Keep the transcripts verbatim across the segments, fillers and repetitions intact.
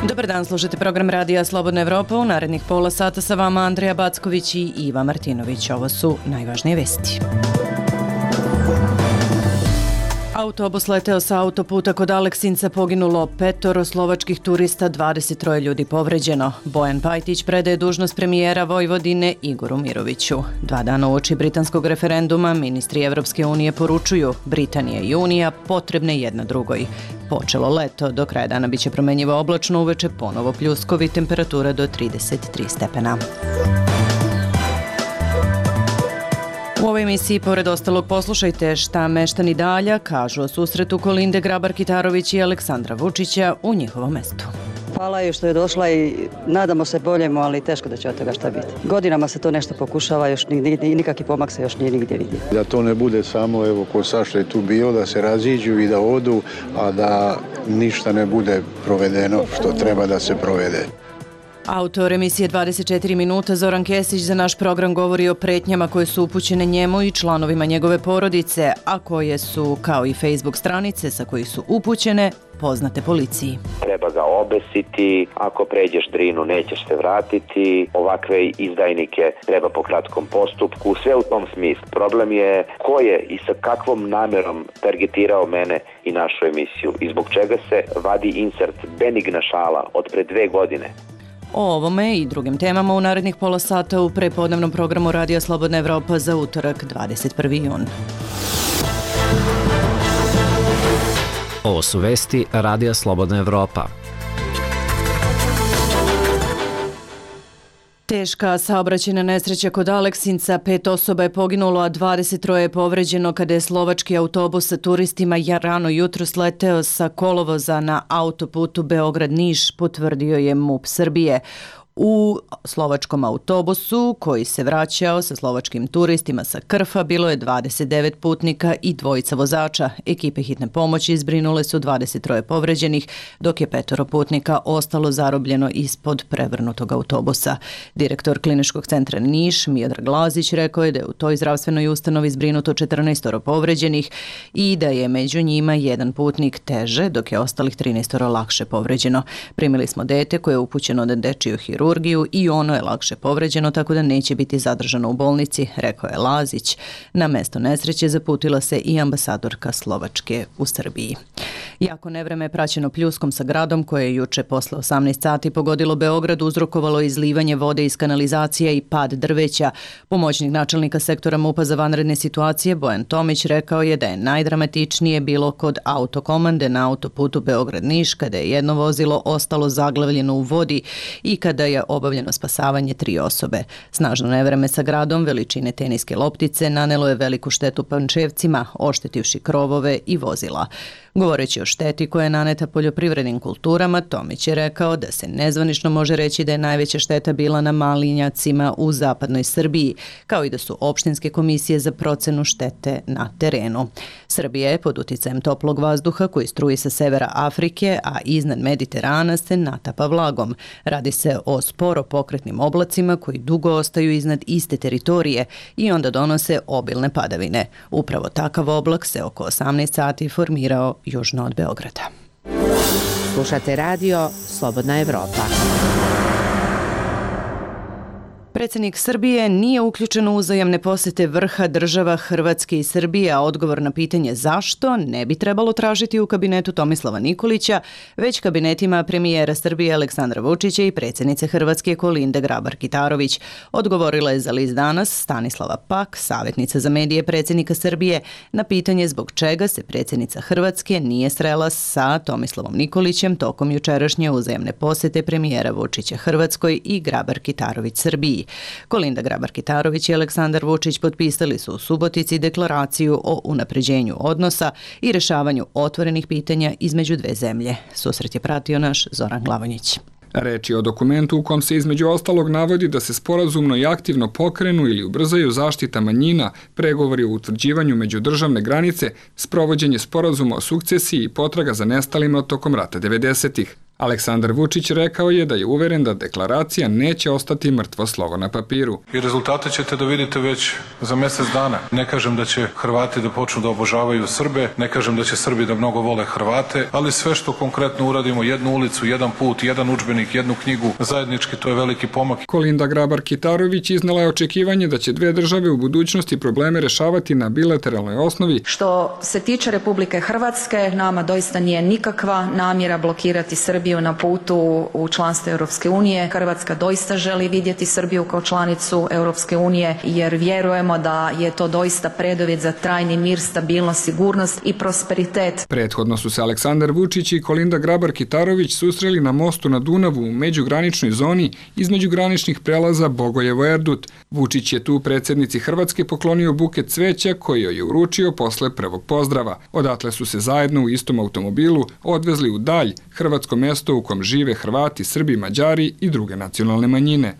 Dobar dan, slušate program Radija Slobodna Evropa. U narednih pola sata sa vama Andreja Backović i Iva Martinović. Ovo su najvažnije vesti. Autobus leteo sa autoputa kod Aleksinca, poginulo petoro slovačkih turista, dvadeset troje ljudi povređeno. Bojan Pajtić predaje dužnost premijera Vojvodine Igoru Miroviću. Dva dana uoči britanskog referenduma ministri Evropske unije poručuju Britanija i Unija potrebne jedna drugoj. Počelo leto, do kraja dana biće promenjivo oblačno, uveče ponovo pljuskovi, temperatura do trideset tri stepena. U ovoj emisiji, pored ostalog, poslušajte šta meštani Dalja kažu o susretu Kolinde Grabar-Kitarović i Aleksandra Vučića u njihovom mestu. Hvala joj što je došla i nadamo se boljemu, ali teško da će od toga šta biti. Godinama se to nešto pokušava, još i nikakvi pomak se još nije nigdje vidio. Da to ne bude samo, evo, ko Saša je tu bio, da se raziđu i da odu, a da ništa ne bude provedeno što treba da se provede. Autor emisije dvadeset četiri minuta Zoran Kesić za naš program govori o pretnjama koje su upućene njemu i članovima njegove porodice, a koje su, kao i Facebook stranice sa kojih su upućene, poznate policiji. Treba ga obesiti, ako pređeš Drinu nećeš se vratiti, ovakve izdajnike treba po kratkom postupku, sve u tom smislu. Problem je ko je i sa kakvom namerom targetirao mene i našu emisiju i zbog čega se vadi insert benigna šala od pre dve godine. O ovome i drugim temama u narednih pola sata u prepodnevnom programu Radija Slobodna Evropa za utorak dvadeset prvi jun. Ovo su vesti Radija Slobodna Evropa. Teška saobraćajna nesreća kod Aleksinca, pet osoba je poginulo, a dvadeset troje je povređeno kada je slovački autobus sa turistima rano jutros leteo sa kolovoza na autoputu Beograd-Niš, potvrdio je MUP Srbije. U slovačkom autobusu koji se vraćao sa slovačkim turistima sa Krfa bilo je dvadeset devet putnika i dvojica vozača. Ekipe hitne pomoći zbrinule su dvadeset troje povređenih, dok je petoro putnika ostalo zarobljeno ispod prevrnutog autobusa. Direktor Kliničkog centra Niš, Miodrag Lazić, rekao je da je u toj zdravstvenoj ustanovi zbrinuto četrnaestoro povređenih i da je među njima jedan putnik teže, dok je ostalih trinaestoro lakše povređeno. Primili smo dete koje je upućeno na dečiju hirurgiju i ono je lakše povređeno, tako da neće biti zadržano u bolnici, rekao je Lazić. Na mesto nesreće zaputila se i ambasadorka Slovačke u Srbiji. Jako nevreme je praćeno pljuskom sa gradom koje je juče posle osamnaest sati pogodilo Beograd, uzrokovalo izlivanje vode iz kanalizacija i pad drveća. Pomoćnik načelnika sektora MUP-a za vanredne situacije Bojan Tomić rekao je da je najdramatičnije bilo kod autokomande na autoputu Beograd-Niš, kada je jedno vozilo ostalo zaglavljeno u vodi i kada je obavljeno spasavanje tri osobe. Snažno nevreme sa gradom veličine teniske loptice nanelo je veliku štetu Pančevcima, oštetivši krovove i vozila. Govoreći o šteti koja je naneta poljoprivrednim kulturama, Tomić je rekao da se nezvanično može reći da je najveća šteta bila na malinjacima u zapadnoj Srbiji, kao i da su opštinske komisije za procenu štete na terenu. Srbija je pod uticajem toplog vazduha koji struji sa severa Afrike, a iznad Mediterana se natapa vlagom. Radi se o sporo pokretnim oblacima koji dugo ostaju iznad iste teritorije i onda donose obilne padavine. Upravo takav oblak se oko osamnaest sati formirao južno od Beograda. Slušate radio Slobodna Evropa. Predsjednik Srbije nije uključen u uzajamne posete vrha država Hrvatske i Srbije, a odgovor na pitanje zašto ne bi trebalo tražiti u kabinetu Tomislava Nikolića, već kabinetima premijera Srbije Aleksandra Vučića i predsjednice Hrvatske Kolinde Grabar-Kitarović. Odgovorila je za list Danas Stanislava Pak, savjetnica za medije predsjednika Srbije, na pitanje zbog čega se predsjednica Hrvatske nije srela sa Tomislavom Nikolićem tokom jučerašnje uzajamne posete premijera Vučića Hrvatskoj i Grabar-Kitarović Srbiji. Kolinda Grabar-Kitarović i Aleksandar Vučić potpisali su u Subotici deklaraciju o unapređenju odnosa i rešavanju otvorenih pitanja između dve zemlje. Susret je pratio naš Zoran Glavonjić. Reč je o dokumentu u kom se između ostalog navodi da se sporazumno i aktivno pokrenu ili ubrzaju zaštita manjina, pregovori o utvrđivanju međudržavne granice, sprovođenje sporazuma o sukcesiji i potraga za nestalima tokom rata devedesetih. Aleksandar Vučić rekao je da je uveren da deklaracija neće ostati mrtvo slovo na papiru. I rezultate ćete da vidite već za mjesec dana. Ne kažem da će Hrvati da počnu da obožavaju Srbe, ne kažem da će Srbi da mnogo vole Hrvate, ali sve što konkretno uradimo, jednu ulicu, jedan put, jedan udžbenik, jednu knjigu, zajednički, to je veliki pomak. Kolinda Grabar-Kitarović iznala je očekivanje da će dve države u budućnosti probleme rešavati na bilateralnoj osnovi. Što se tiče Republike Hrvatske, nama doista nije nikakva namjera blokirati Srbiju na putu u članstvo Europske unije. Hrvatska doista želi vidjeti Srbiju kao članicu Europske unije jer vjerujemo da je to doista preduvjet za trajni mir, stabilnost, sigurnost i prosperitet. Prethodno su se Aleksandar Vučić i Kolinda Grabar-Kitarović susreli na mostu na Dunavu u međugraničnoj zoni između graničnih prelaza Bogojevo-Erdut. Vučić je tu predsjednici Hrvatske poklonio buket cveća koji joj je uručio posle prvog pozdrava. Odatle su se zajedno u istom automobilu odvezli u dalj, hrvatsko mesto u kom žive Hrvati, Srbi, Mađari i druge nacionalne manjine.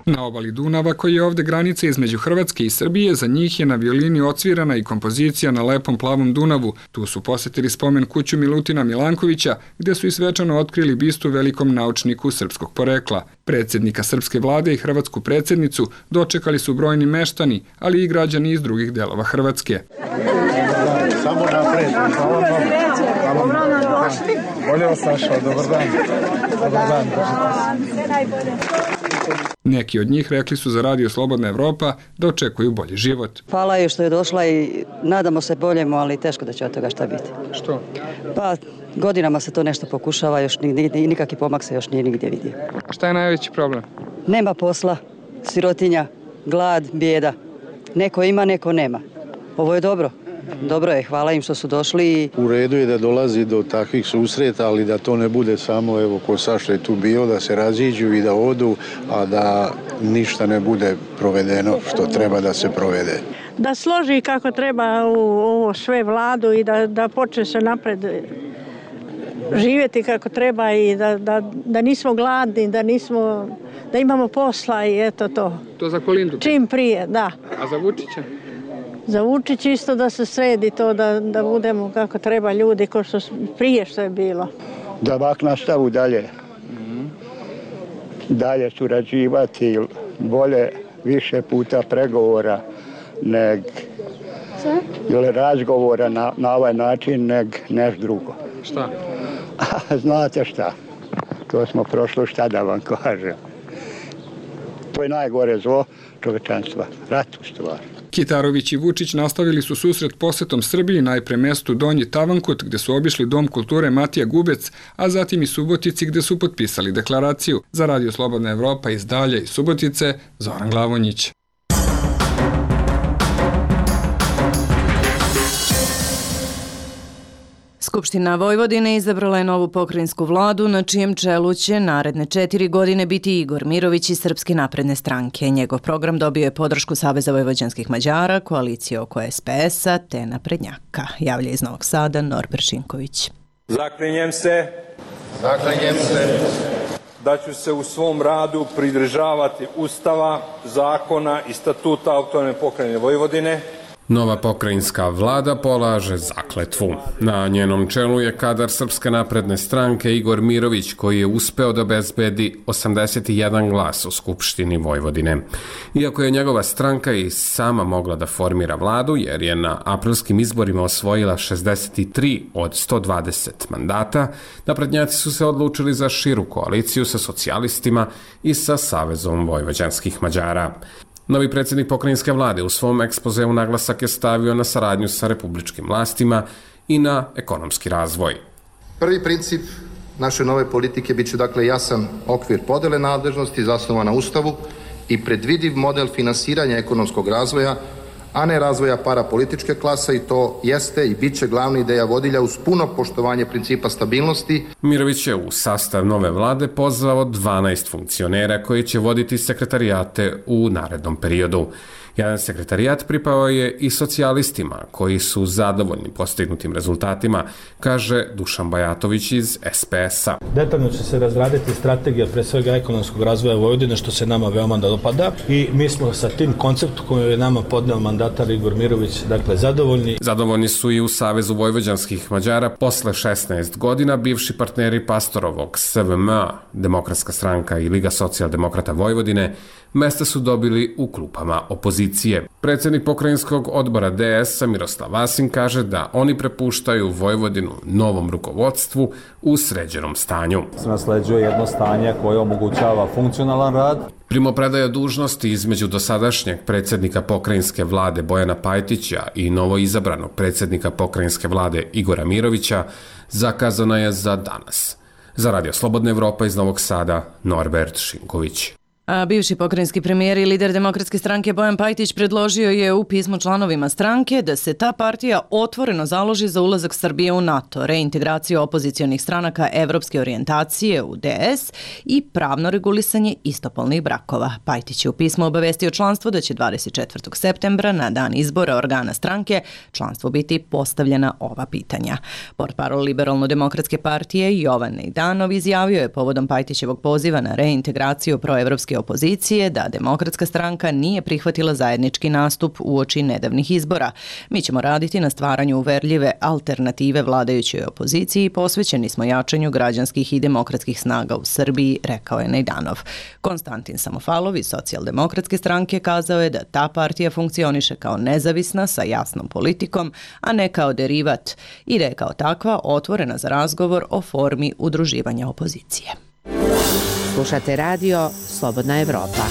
Na obali Dunava, koji je ovde granica između Hrvatske i Srbije, za njih je na violini odsvirana i kompozicija na lepom plavom Dunavu. Tu su posetili spomen kuću Milutina Milankovića, gde su i svečano otkrili bistu velikom naučniku srpskog porekla. Predsjednika srpske vlade i hrvatsku predsjednicu dočekali su brojni meštani, ali i građani iz drugih delova Hrvatske. Samo napred, hvala vam. Bolje vas našao, dobar dan. Dobar dan. Neki od njih rekli su za Radio Slobodna Evropa da očekuju bolji život. Hvala joj što je došla i nadamo se boljemu, ali teško da će od toga šta biti. Što? Pa godinama se to nešto pokušava, još nikakvi pomak se još nije nigdje vidio. Šta je najveći problem? Nema posla, sirotinja, glad, bijeda. Neko ima, neko nema. Ovo je dobro. Dobro je, hvala im što su došli. U redu je da dolazi do takvih susreta, ali da to ne bude samo, evo, ko Saša je tu bio, da se raziđu i da odu, a da ništa ne bude provedeno što treba da se provede. Da složi kako treba u ovo sve vladu i da, da počne se napred živjeti kako treba i da, da, da nismo gladni, da, nismo, da imamo posla i eto to. To za Kolindu? Čim prije, da. A za Vučića? Za Vučić isto da se sredi to, da, da budemo kako treba ljudi, ko što prije što je bilo. Da ovak nastavu dalje. Dalje surađivati, bolje više puta pregovora neg, ili razgovora na, na ovaj način neg neš drugo. Šta? Znate šta, to smo prošlo, šta da vam kažem. To je najgore zlo čovečanstva, rat u stvari. Kitarović i Vučić nastavili su susret posetom Srbiji, najpre mestu Donji Tavankut, gde su obišli Dom kulture Matija Gubec, a zatim i Subotici, gde su potpisali deklaraciju. Za Radio Slobodna Evropa iz Dalja i Subotice, Zoran Glavonjić. Skupština Vojvodine izabrala je novu pokrajinsku vladu na čijem čelu će naredne četiri godine biti Igor Mirović iz Srpske napredne stranke. Njegov program dobio je podršku Saveza vojvođanskih Mađara, koalicije oko es pe es-a te naprednjaka. Javlja iz Novog Sada Norbert Šinković. Zaklinjem se, Zaklinjem se da ću se u svom radu pridržavati Ustava, zakona i statuta Autonomne pokrajine Vojvodine. Nova pokrajinska vlada polaže zakletvu. Na njenom čelu je kadar Srpske napredne stranke Igor Mirović, koji je uspeo da obezbedi osamdeset jedan glas u Skupštini Vojvodine. Iako je njegova stranka i sama mogla da formira vladu, jer je na aprilskim izborima osvojila šezdeset tri od sto dvadeset mandata, naprednjaci su se odlučili za širu koaliciju sa socijalistima i sa Savezom vojvođanskih Mađara. Novi predsjednik pokrajinske vlade u svom ekspozeu naglasak je stavio na saradnju sa republičkim vlastima i na ekonomski razvoj. Prvi princip naše nove politike bit će dakle jasan okvir podele nadležnosti zasnovan na Ustavu i predvidiv model finansiranja ekonomskog razvoja, a ne razvoja parapolitičke klase, i to jeste i bit će glavna ideja vodilja uz puno poštovanje principa stabilnosti. Mirović je u sastav nove vlade pozvao dvanaest funkcionera koji će voditi sekretarijate u narednom periodu. Jedan sekretarijat pripao je i socijalistima, koji su zadovoljni postignutim rezultatima, kaže Dušan Bajatović iz es pe es-a. Detaljno će se razraditi strategija pre svega ekonomskog razvoja Vojvodine, što se nama veoma dopada, i mi smo sa tim konceptom koji je nama podneo mandatar Igor Mirović, dakle, zadovoljni. Zadovoljni su i u Savezu vojvođanskih Mađara. Posle šesnaest godina bivši partneri Pastorovog es ve em a, Demokratska stranka i Liga socijaldemokrata Vojvodine, mesta su dobili u klupama opozicije. Predsjednik pokrajinskog odbora de es-a Miroslav Vasin kaže da oni prepuštaju Vojvodinu novom rukovodstvu u sređenom stanju. Se nasleđuje jedno stanje koje omogućava funkcionalan rad. Primopredaja dužnosti između dosadašnjeg predsjednika pokrajinske vlade Bojana Pajtića i novoizabranog predsjednika pokrajinske vlade Igora Mirovića zakazana je za danas. Za Radio Slobodna Evropa iz Novog Sada, Norbert Šinković. A bivši pokrajinski premijer i lider Demokratske stranke Bojan Pajtić predložio je u pismu članovima stranke da se ta partija otvoreno založi za ulazak Srbije u NATO, reintegraciju opozicionih stranaka evropske orijentacije u de es i pravno regulisanje istopolnih brakova. Pajtić je u pismu obavestio članstvo da će dvadeset četvrtog septembra na dan izbora organa stranke članstvu biti postavljena ova pitanja. Portparol Liberalno-demokratske partije Jovan Nejdanov izjavio je povodom Pajtićevog poziva na reintegraciju proevropske opozicije da Demokratska stranka nije prihvatila zajednički nastup uoči nedavnih izbora. Mi ćemo raditi na stvaranju uverljive alternative vladajućoj opoziciji i posvećeni smo jačanju građanskih i demokratskih snaga u Srbiji, rekao je Nejdanov. Konstantin Samofalov iz Socijaldemokratske stranke kazao je da ta partija funkcioniše kao nezavisna sa jasnom politikom, a ne kao derivat i da je kao takva otvorena za razgovor o formi udruživanja opozicije. Slušate radio Slobodna Evropa.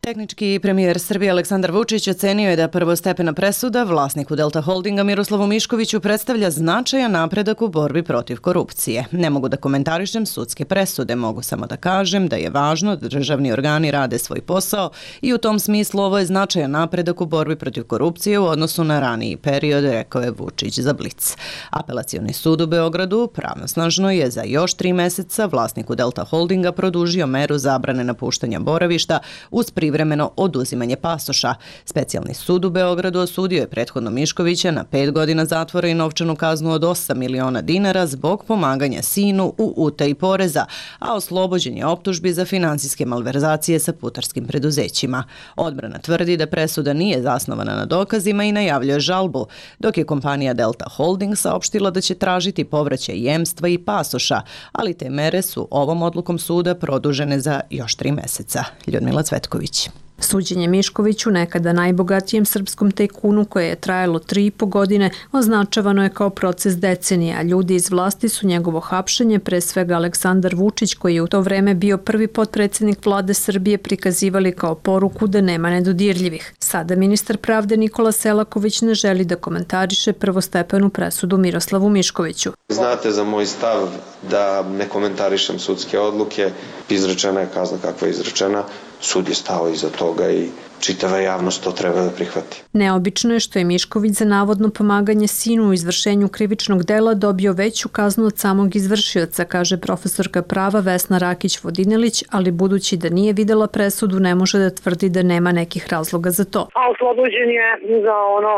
Tehnički premijer Srbije Aleksandar Vučić ocenio je da prvostepena presuda vlasniku Delta Holdinga Miroslavu Miškoviću predstavlja značajan napredak u borbi protiv korupcije. Ne mogu da komentarišem sudske presude, mogu samo da kažem da je važno da državni organi rade svoj posao i u tom smislu ovo je značajan napredak u borbi protiv korupcije u odnosu na raniji period, rekao je Vučić za Blic. Apelacioni sud u Beogradu pravnosnažno je za još tri meseca vlasniku Delta Holdinga produžio meru zabrane napuštanja boravišta uz privremeno oduzimanje pasoša. Specijalni sud u Beogradu osudio je prethodno Miškovića na pet godina zatvora i novčanu kaznu od osam miliona dinara zbog pomaganja sinu u utaji poreza, a oslobođen je optužbi za finansijske malverzacije sa putarskim preduzećima. Odbrana tvrdi da presuda nije zasnovana na dokazima i najavljuje žalbu, dok je kompanija Delta Holding saopštila da će tražiti povraćaj jemstva i pasoša, ali te mere su ovom odlukom suda produžene za još tri meseca. Ljudmila Cvetković. Suđenje Miškoviću, nekada najbogatijem srpskom tajkunu koje je trajalo tri i po godine, označavano je kao proces decenije, a ljudi iz vlasti su njegovo hapšenje, pre svega Aleksandar Vučić, koji je u to vreme bio prvi potpredsjednik vlade Srbije, prikazivali kao poruku da nema nedodirljivih. Sada ministar pravde Nikola Selaković ne želi da komentariše prvostepenu presudu Miroslavu Miškoviću. Znate za moj stav da ne komentarišem sudske odluke, izrečena je kazna kakva je izrečena, sud je stao iza toga i čitava javnost to treba da prihvati. Neobično je što je Mišković za navodno pomaganje sinu u izvršenju krivičnog dela dobio veću kaznu od samog izvršioca, kaže profesorka prava Vesna Rakić-Vodinelić, ali budući da nije videla presudu, ne može da tvrdi da nema nekih razloga za to. A oslobođen je za ono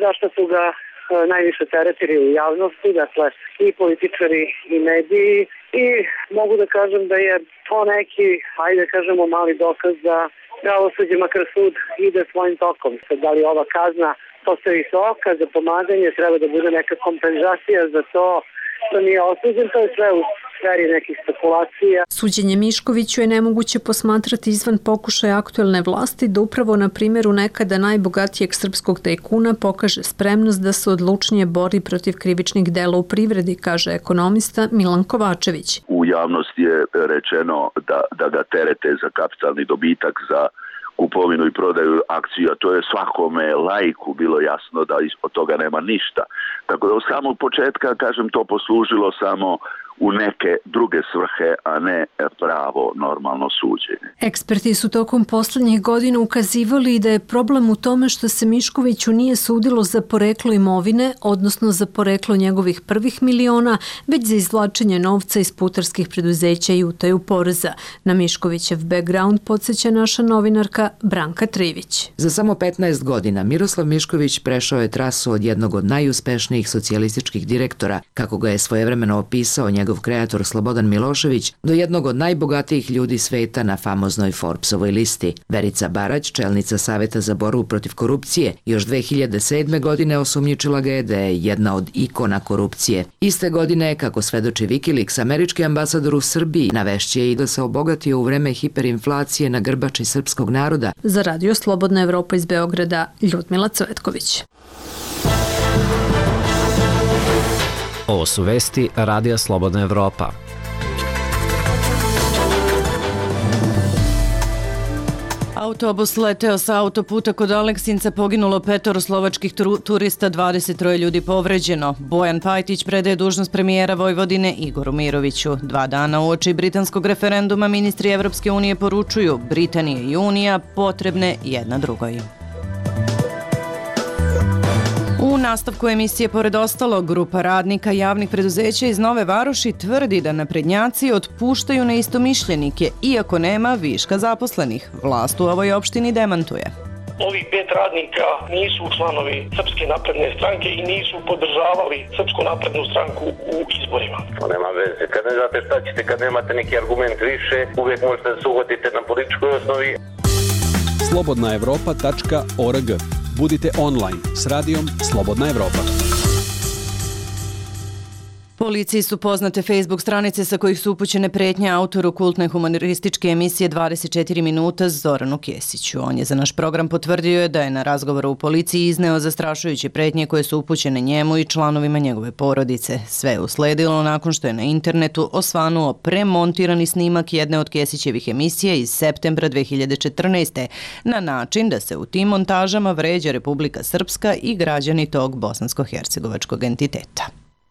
zašto su ga najviše teretili u javnosti, dakle i političari i mediji, i mogu da kažem da je to neki, ajde kažemo, mali dokaz da pravosuđe, makar sud, ide svojim tokom. Sad, da li ova kazna postoji visoka za pomaganje, treba da bude neka kompenzacija za to što nije osuđen, to je sve u sferi nekih spekulacija. Suđenje Miškoviću je nemoguće posmatrati izvan pokušaja aktuelne vlasti da upravo na primjeru nekada najbogatijeg srpskog tajkuna pokaže spremnost da se odlučnije bori protiv krivičnih dela u privredi, kaže ekonomista Milan Kovačević. U javnosti je rečeno da, da ga terete za kapitalni dobitak, za kupovinu i prodaju akcija, to je svakome laiku bilo jasno da od toga nema ništa. Tako da od samog početka, kažem, to poslužilo samo u neke druge svrhe, a ne pravo normalno suđenje. Eksperti su tokom poslednjih godina ukazivali da je problem u tome što se Miškoviću nije sudilo za poreklo imovine, odnosno za poreklo njegovih prvih miliona, već za izvlačenje novca iz putarskih preduzeća i utaju poreza. Na Miškovićev background podsjeća naša novinarka Branka Trivić. Za samo petnaest godina Miroslav Mišković prešao je trasu od jednog od najuspešnijih socijalističkih direktora, kako ga je svojevremeno opisao njegov kreator Slobodan Milošević, do jednog od najbogatijih ljudi sveta na famoznoj Forbesovoj listi. Verica Barać, čelnica Saveta za borbu protiv korupcije, još dve hiljade sedme. godine osumnjičila ga je da je jedna od ikona korupcije. Iste godine, kako svedoči Wikileaks, američki ambasador u Srbiji navešće i da se obogatio u vreme hiperinflacije na grbači srpskog naroda. Za Radio Slobodna Evropa iz Beograda, Ljudmila Cvetković. Ovo su vesti Radija Slobodna Evropa. Autobus leteo sa autoputa kod Aleksinca, poginulo petoro slovačkih turista, dvadeset troje ljudi povređeno. Bojan Pajtić predaje dužnost premijera Vojvodine Igoru Miroviću. Dva dana uoči britanskog referenduma ministri Evropske unije poručuju Britanije i Unija potrebne jedna drugoj. U nastavku emisije, pored ostalo, grupa radnika javnih preduzeća iz Nove Varoši tvrdi da naprednjaci otpuštaju neistomišljenike, iako nema viška zaposlenih. Vlast u ovoj opštini demantuje. Ovih pet radnika nisu članovi Srpske napredne stranke i nisu podržavali Srpsku naprednu stranku u izborima. To nema veze. Kad ne znate šta ćete, kad nemate neki argument više, uvijek možete da se uhvatite na političkoj osnovi. slobodna evropa tačka org. Budite online s radijom Slobodna Evropa. Policiji su poznate Facebook stranice sa kojih su upućene pretnje autoru kultne humorističke emisije dvadeset četiri minuta Zoranu Kesiću. On je za naš program potvrdio da je na razgovoru u policiji izneo zastrašujuće pretnje koje su upućene njemu i članovima njegove porodice. Sve je usledilo nakon što je na internetu osvanuo premontirani snimak jedne od Kesićevih emisija iz septembra dve hiljade četrnaeste. na način da se u tim montažama vređa Republika Srpska i građani tog bosansko-hercegovačkog entiteta.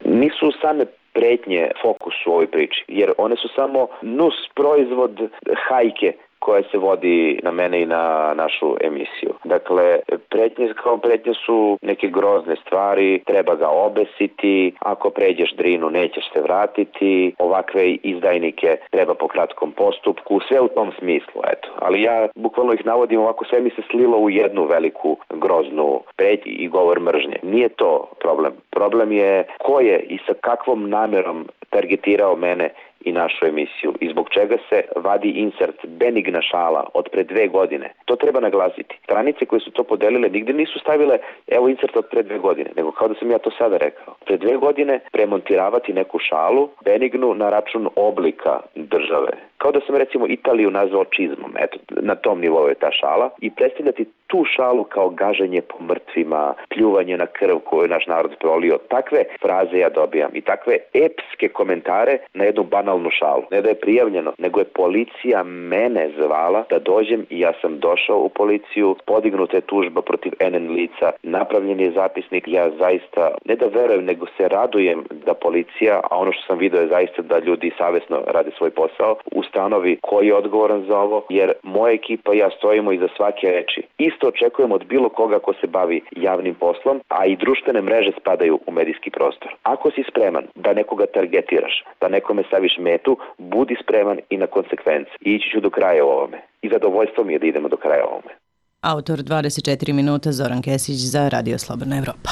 Nisu same pretnje fokus u ovoj priči, jer one su samo nus proizvod hajke koja se vodi na mene i na našu emisiju. Dakle, pretnje kao pretnje su neke grozne stvari, treba ga obesiti, ako pređeš Drinu nećeš se vratiti, ovakve izdajnike treba po kratkom postupku, sve u tom smislu, eto. Ali ja bukvalno ih navodim ovako, sve mi se slilo u jednu veliku groznu pretnju i govor mržnje. Nije to problem. Problem je ko je i sa kakvom namerom targetirao mene i našu emisiju i zbog čega se vadi insert benigna šala od pre dve godine. To treba naglasiti. Stranice koje su to podelile nigde nisu stavile evo insert od pre dve godine, nego kao da sam ja to sada rekao. Pre dve godine premontiravati neku šalu benignu na račun oblika države. Kao da sam recimo Italiju nazvao čizmom, eto, na tom nivou je ta šala i predstavljati tu šalu kao gaženje po mrtvima, pljuvanje na krv koju naš narod prolio. Takve fraze ja dobijam i takve epske komentare na jednu banalnu šalu. Ne da je prijavljeno, nego je policija mene zvala da dođem i ja sam došao u policiju, podignuta je tužba protiv N N lica, napravljen je zapisnik, ja zaista, ne da verujem, nego se radujem da policija, a ono što sam vidio je zaista da ljudi savjesno rade svoj posao, ustanovi koji je odgovoran za ovo, jer moja ekipa i ja stojimo iza svake reči. Isto očekujem od bilo koga ko se bavi javnim poslom, a i društvene mreže spadaju u medijski prostor. Ako si spreman da nekoga targetiraš, da nekome staviš metu, budi spreman i na konsekvence. I ići ću do kraja u ovome. I zadovoljstvo mi je da idemo do kraja u ovome. Autor dvadeset četiri minuta Zoran Kesić za Radio Slobodna Evropa.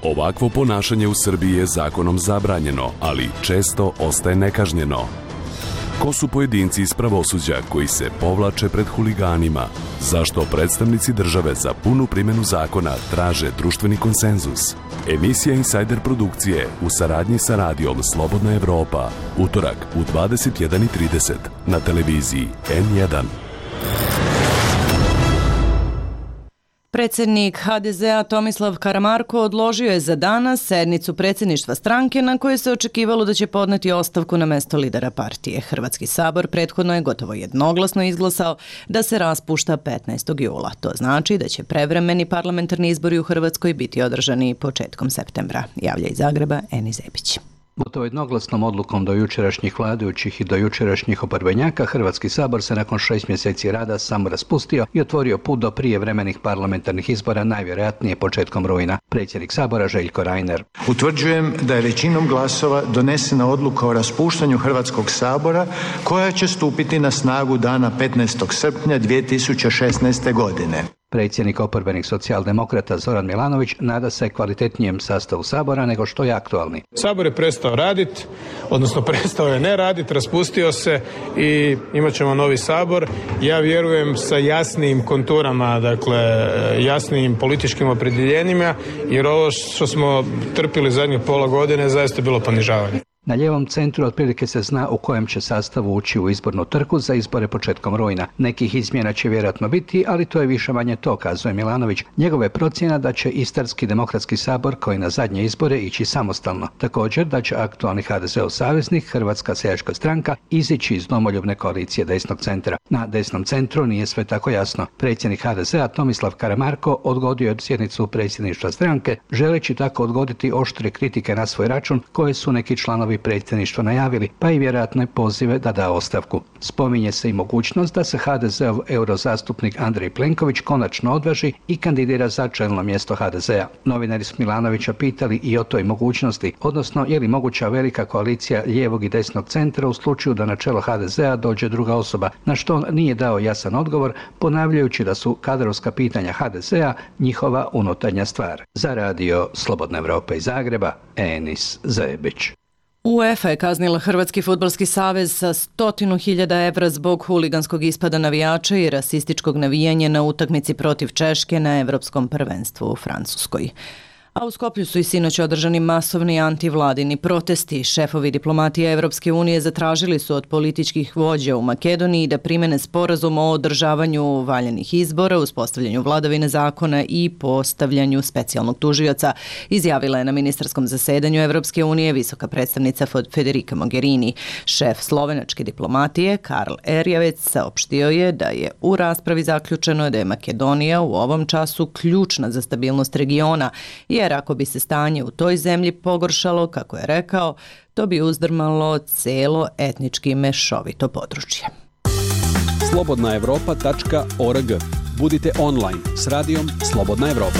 Ovakvo ponašanje u Srbiji je zakonom zabranjeno, ali često ostaje nekažnjeno. Ko su pojedinci iz pravosuđa koji se povlače pred huliganima? Zašto predstavnici države za punu primjenu zakona traže društveni konsenzus? Emisija Insider produkcije u saradnji sa radijom Slobodna Evropa. Utorak u dvadeset jedan i trideset na televiziji N jedan. Predsjednik ha de zea Tomislav Karamarko odložio je za danas sednicu predsjedništva stranke na kojoj se očekivalo da će podneti ostavku na mesto lidera partije. Hrvatski sabor prethodno je gotovo jednoglasno izglasao da se raspušta petnaestog jula. To znači da će prevremeni parlamentarni izbori u Hrvatskoj biti održani početkom septembra. Javlja iz Zagreba Eni Zebić. Gotovo jednoglasnom odlukom do jučerašnjih vladajućih i do jučerašnjih oporbenjaka, Hrvatski sabor se nakon šest mjeseci rada samo raspustio i otvorio put do prijevremenih parlamentarnih izbora, najvjerojatnije početkom rujna. Predsjednik sabora Željko Reiner. Utvrđujem da je većinom glasova donesena odluka o raspuštanju Hrvatskog sabora koja će stupiti na snagu dana petnaestog srpnja dvije tisuće šesnaeste. godine. Predsjednik oporbenih socijaldemokrata Zoran Milanović nada se kvalitetnijem sastavu sabora nego što je aktualni. Sabor je prestao raditi, odnosno prestao je ne raditi, raspustio se i imat ćemo novi sabor. Ja vjerujem sa jasnijim konturama, dakle jasnijim političkim opredjeljenjima, jer ovo što smo trpili zadnjih pola godine zaista je bilo ponižavanje. Na lijevom centru otprilike se zna u kojem će sastavu ući u izbornu trku za izbore početkom rujna. Nekih izmjena će vjerojatno biti, ali to je više manje to, kazuje Milanović. Njegova je procjena da će Istarski demokratski sabor, koji na zadnje izbore, ići samostalno. Također da će aktualni ha de zeov saveznik, Hrvatska seljačka stranka, izići iz domoljubne koalicije desnog centra. Na desnom centru nije sve tako jasno. Predsjednik ha de zea Tomislav Karamarko odgodio je sjednicu predsjedništva stranke, želeći tako odgoditi oštre kritike na svoj račun koje su neki članovi predsjedništva najavili, pa i vjerojatne pozive da da ostavku. Spominje se i mogućnost da se ha de zeov eurozastupnik Andrej Plenković konačno odvaži i kandidira za čelno mjesto ha de zea. Novinari su Milanovića pitali i o toj mogućnosti, odnosno je li moguća velika koalicija lijevog i desnog centra u slučaju da na čelo ha de zea dođe druga osoba, na što on nije dao jasan odgovor, ponavljajući da su kadrovska pitanja ha de zea njihova unutarnja stvar. Za radio Slobodna Evropa iz Zagreba, Enis Zebić. UEFA je kaznila Hrvatski fudbalski savez sa stotinu hiljada evra zbog huliganskog ispada navijača i rasističkog navijanja na utakmici protiv Češke na Evropskom prvenstvu u Francuskoj. A u Skoplju su i sinoć održani masovni antivladini protesti. Šefovi diplomatije Evropske unije zatražili su od političkih vođa u Makedoniji da primene sporazum o održavanju valjanih izbora, uspostavljanju vladavine zakona i postavljanju specijalnog tužioca, izjavila je na ministarskom zasedanju Evropske unije visoka predstavnica Federica Mogherini. Šef slovenačke diplomatije Karl Erjavec saopštio je da je u raspravi zaključeno da je Makedonija u ovom času ključna za stabilnost regiona, jer ako bi se stanje u toj zemlji pogoršalo, kako je rekao, to bi uzdrmalo celo etnički mešovito područje. slobodna evropa tačka org. Budite online s radijom Slobodna Evropa.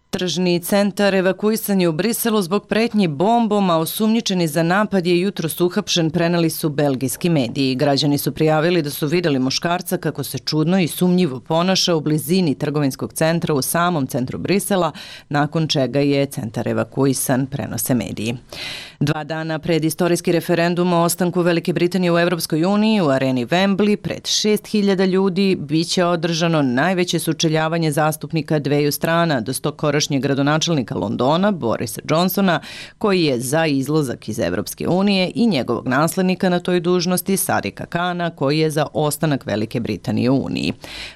Tržni centar evakuisan je u Briselu zbog pretnji bombom, a osumnjičeni za napad je jutros uhapšen, preneli su belgijski mediji. Građani su prijavili da su vidjeli muškarca kako se čudno i sumnjivo ponaša u blizini trgovinskog centra u samom centru Brisela, nakon čega je centar evakuisan, prenose mediji. Dva dana pred istorijski referendum o ostanku Velike Britanije u Europskoj uniji u areni Wembley pred šest hiljada ljudi biće održano najveće sučeljavanje zastupnika dveju strana, do stokorašnjeg gradonačelnika Londona Borisa Johnsona, koji je za izlazak iz Europske unije, i njegovog naslednika na toj dužnosti Sadika Kana, koji je za ostanak Velike Britanije u Uniji.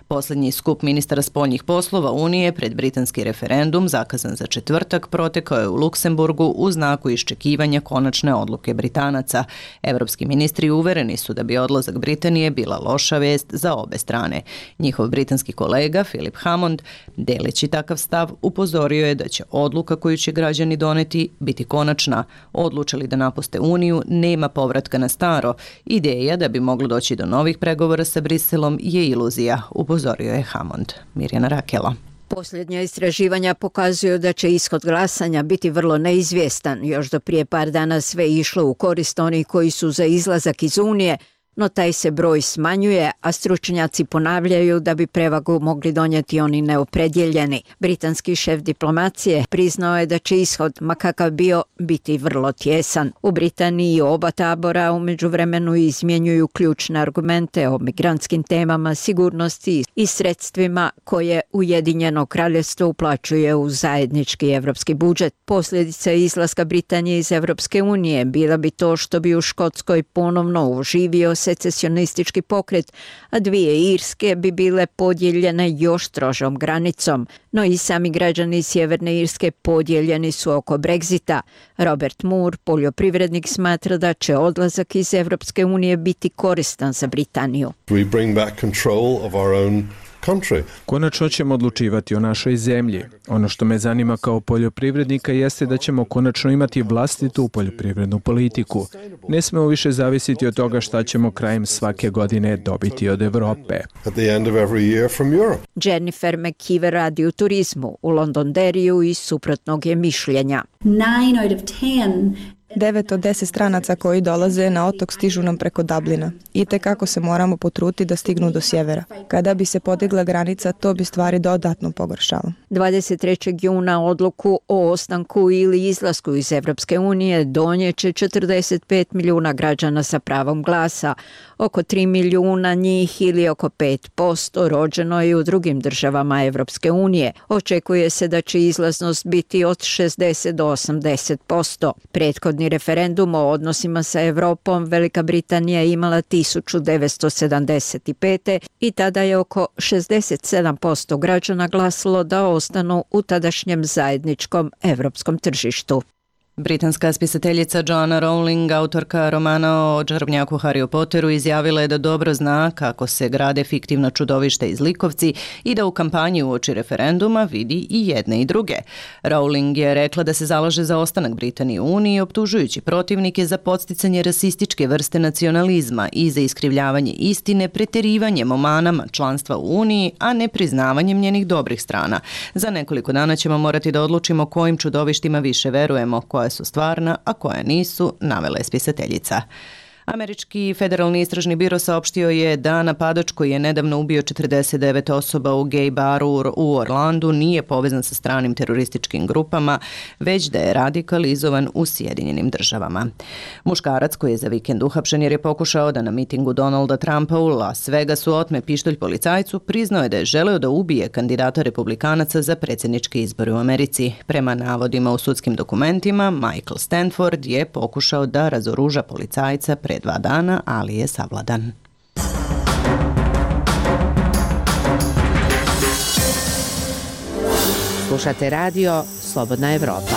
Posljednji skup ministara spoljnih poslova Unije pred britanski referendum, zakazan za četvrtak, protekao je u Luksemburgu u znaku iščekivanja konačne odluke Britanaca. Evropski ministri uvereni su da bi odlazak Britanije bila loša vest za obe strane. Njihov britanski kolega Philip Hammond, deleći takav stav, upozorio je da će odluka koju će građani doneti biti konačna. Odlučili da napuste Uniju, nema povratka na staro. Ideja da bi moglo doći do novih pregovora sa Briselom je iluzija, upozorio je Hammond. Mirjana Rakela. Posljednja istraživanja pokazuju da će ishod glasanja biti vrlo neizvjestan. Još do prije par dana sve išlo u korist onih koji su za izlazak iz Unije, no taj se broj smanjuje, a stručnjaci ponavljaju da bi prevagu mogli donijeti oni neopredjeljeni. Britanski šef diplomacije priznao je da će ishod, ma kakav bio, biti vrlo tjesan. U Britaniji oba tabora u međuvremenu izmjenjuju ključne argumente o migrantskim temama, sigurnosti i sredstvima koje Ujedinjeno kraljevstvo uplaćuje u zajednički evropski budžet. Posljedica izlaska Britanije iz Evropske unije bila bi to što bi u Škotskoj ponovno oživio secesionistički pokret, a dvije Irske bi bile podijeljene još strožom granicom. No i sami građani Sjeverne Irske podijeljeni su oko Brexita. Robert Moore, poljoprivrednik, smatra da će odlazak iz Evropske unije biti koristan za Britaniju. We bring back control of our own country. Konačno ćemo odlučivati o našoj zemlji. Ono što me zanima kao poljoprivrednika jeste da ćemo konačno imati vlastitu poljoprivrednu politiku. Ne smemo više zavisiti od toga šta ćemo krajem svake godine dobiti od Evrope. At the end of every year from Europe. Jennifer McKeever radi u turizmu u Londonderriju i suprotnog je mišljenja. Nine out of ten Devet od deset stranaca koji dolaze na otok stižu nam preko Dublina. I tekako se moramo potruditi da stignu do sjevera. Kada bi se podigla granica, to bi stvari dodatno pogoršalo. dvadeset trećeg juna odluku o ostanku ili izlasku iz Evropske unije donijeće četrdeset pet milijuna građana sa pravom glasa. Oko tri milijuna njih ili oko pet posto rođeno je u drugim državama Evropske unije. Očekuje se da će izlaznost biti od šezdeset do osamdeset posto. Prethodni referendum o odnosima sa Evropom Velika Britanija je imala tisuću devetsto sedamdeset pete. i tada je oko šezdeset sedam posto građana glasilo da ostanu u tadašnjem zajedničkom evropskom tržištu. Britanska spisateljica Joanna Rowling, autorka romana o čarobnjaku Harryu Potteru, izjavila je da dobro zna kako se grade fiktivna čudovišta i zlikovci i da u kampanji uoči referenduma vidi i jedne i druge. Rowling je rekla da se zalaže za ostanak Britanije u Uniji, optužujući protivnike za podsticanje rasističke vrste nacionalizma i za iskrivljavanje istine preterivanjem o manama članstva u Uniji, a ne priznavanjem njenih dobrih strana. Za nekoliko dana ćemo morati da odlučimo kojim čudovištima više verujemo, koja su stvarna, a koja nisu, navela je spisateljica. Američki federalni istražni biro saopštio je da napadač koji je nedavno ubio četrdeset devet osoba u gej baru u Orlandu nije povezan sa stranim terorističkim grupama, već da je radikalizovan u Sjedinjenim državama. Muškarac koji je za vikend uhapšen jer je pokušao da na mitingu Donalda Trumpa u Las Vegasu otme pištolj policajcu, priznao je da je želeo da ubije kandidata republikanaca za predsjedničke izbore u Americi. Prema navodima u sudskim dokumentima, Michael Stanford je pokušao da razoruža policajca pre dva dana, ali je savladan. Slušate radio Slobodna Evropa.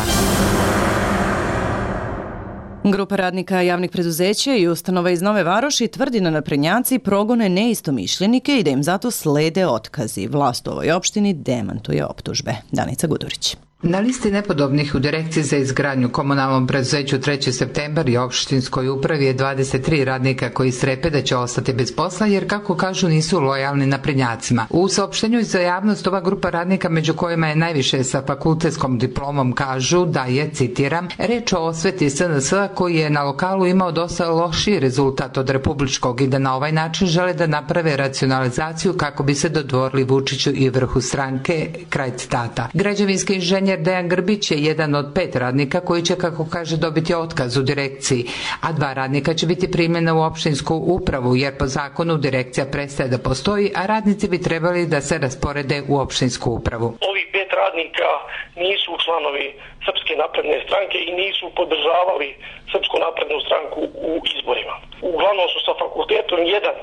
Grupa radnika javnih preduzeća i ustanova iz Nove Varoši tvrdi da naprednjaci progone neistomišljenike i da im zato slede otkazi. Vlast u ovoj opštini demantuje optužbe. Danica Gudurić. Na listi nepodobnih u Direkciji za izgradnju komunalnom preduzeću treći septembar i opštinskoj upravi je dvadeset tri radnika koji strepe da će ostati bez posla jer, kako kažu, nisu lojalni naprednjacima. U saopštenju za javnost ova grupa radnika, među kojima je najviše sa fakultetskom diplomom, kažu da je, citiram, reč o osveti S N S-a koji je na lokalu imao dosta lošiji rezultat od republičkog i da na ovaj način žele da naprave racionalizaciju kako bi se dodvorili Vučiću i vrhu stranke, kraj citata. Građevinski inženjer Dejan Grbić je jedan od pet radnika koji će, kako kaže, dobiti otkaz u direkciji, a dva radnika će biti primljena u opštinsku upravu jer po zakonu direkcija prestaje da postoji, a radnici bi trebali da se rasporede u opštinsku upravu. Ovih pet radnika nisu članovi Srpske napredne stranke i nisu podržavali Srpsku naprednu stranku u izborima. Uglavnom su sa fakultetom, jedan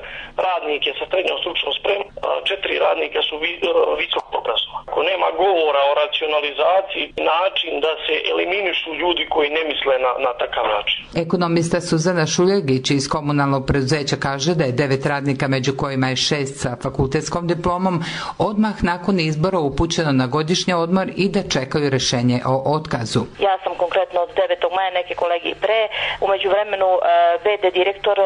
radnik je sa srednjom stručnom spremom, četiri radnika su vi, visoko obrazovani. Ako nema govora o racionalizaciji, način da se eliminišu ljudi koji ne misle na, na takav način. Ekonomista Suzana Šuljegić iz komunalnog preduzeća kaže da je devet radnika, među kojima je šest sa fakultetskom diplomom, odmah nakon izbora upućeno na godišnji odmor i da čekaju rešenje o otkazu. Ja sam konkretno od devetog maja, neke kolege i pre. Umeđu vremenu V D direktor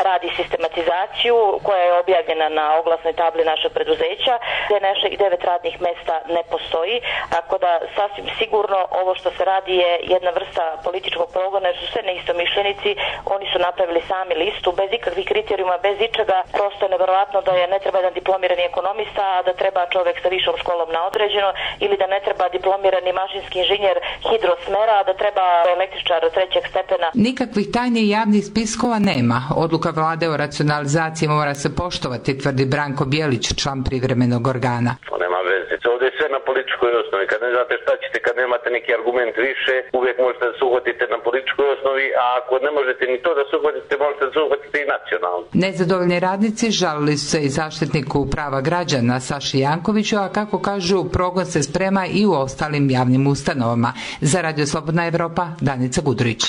radi sistematizaciju koja je objavljena na oglasnoj tabli našeg preduzeća, gde naših devet radnih mesta ne postoji, tako da sasvim sigurno ovo što se radi je jedna vrsta političkog progona, jer su sve neistomišljenici, oni su napravili sami listu bez ikakvih kriterijuma, bez ičega. Prosto je neverovatno da je ne treba jedan diplomirani ekonomista, a da treba čovek sa višom školom na određeno, ili da ne treba diplomirani mašinski inženjer hidrosmera, a da treba električar trećeg stepena. Nikakvih tajnih javnih spiskova nema. Odluka vlade o racionalizaciji mora se poštovati, tvrdi Branko Bjelić, član privremenog organa. Nema veze. Ovdje je sve na političkoj osnovi. Kad ne znate šta ćete, kad nemate neki argument više, uvijek možete da se uhvatite na političkoj osnovi, a ako ne možete ni to da se uhvatite, možete da se uhvatite i nacionalno. Nezadovoljni radnici žalili su se i zaštitniku prava građana Saši Jankoviću, a kako kažu, progon se sprema i u ostalim javnim ustanovama. Za Radio Slobodna Evropa, Danica Gudurić.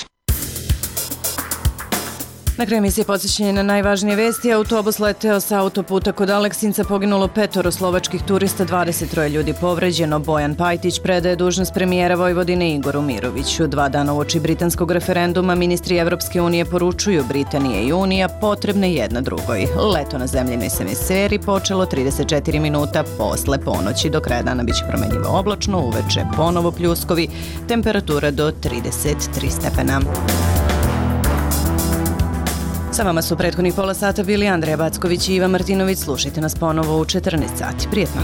Na kraju emisije podsjećanje na najvažnije vesti. Autobus leteo sa autoputa kod Aleksinca, poginulo petoro slovačkih turista, dvadeset troje ljudi povređeno. Bojan Pajtić predaje dužnost premijera Vojvodine Igoru Miroviću. Dva dana uoči britanskog referenduma ministri Evropske unije poručuju Britanije i Unija potrebne jedna drugoj. Leto na zemljinoj hemisferi počelo trideset četiri minuta posle ponoći. Do kraja dana biće promenljivo oblačno, uveče ponovo pljuskovi, temperatura do trideset tri stepena. Sa vama su prethodnih pola sata bili Andreja Backović i Iva Martinović. Slušajte nas ponovo u četrnaest sati. Prijetno!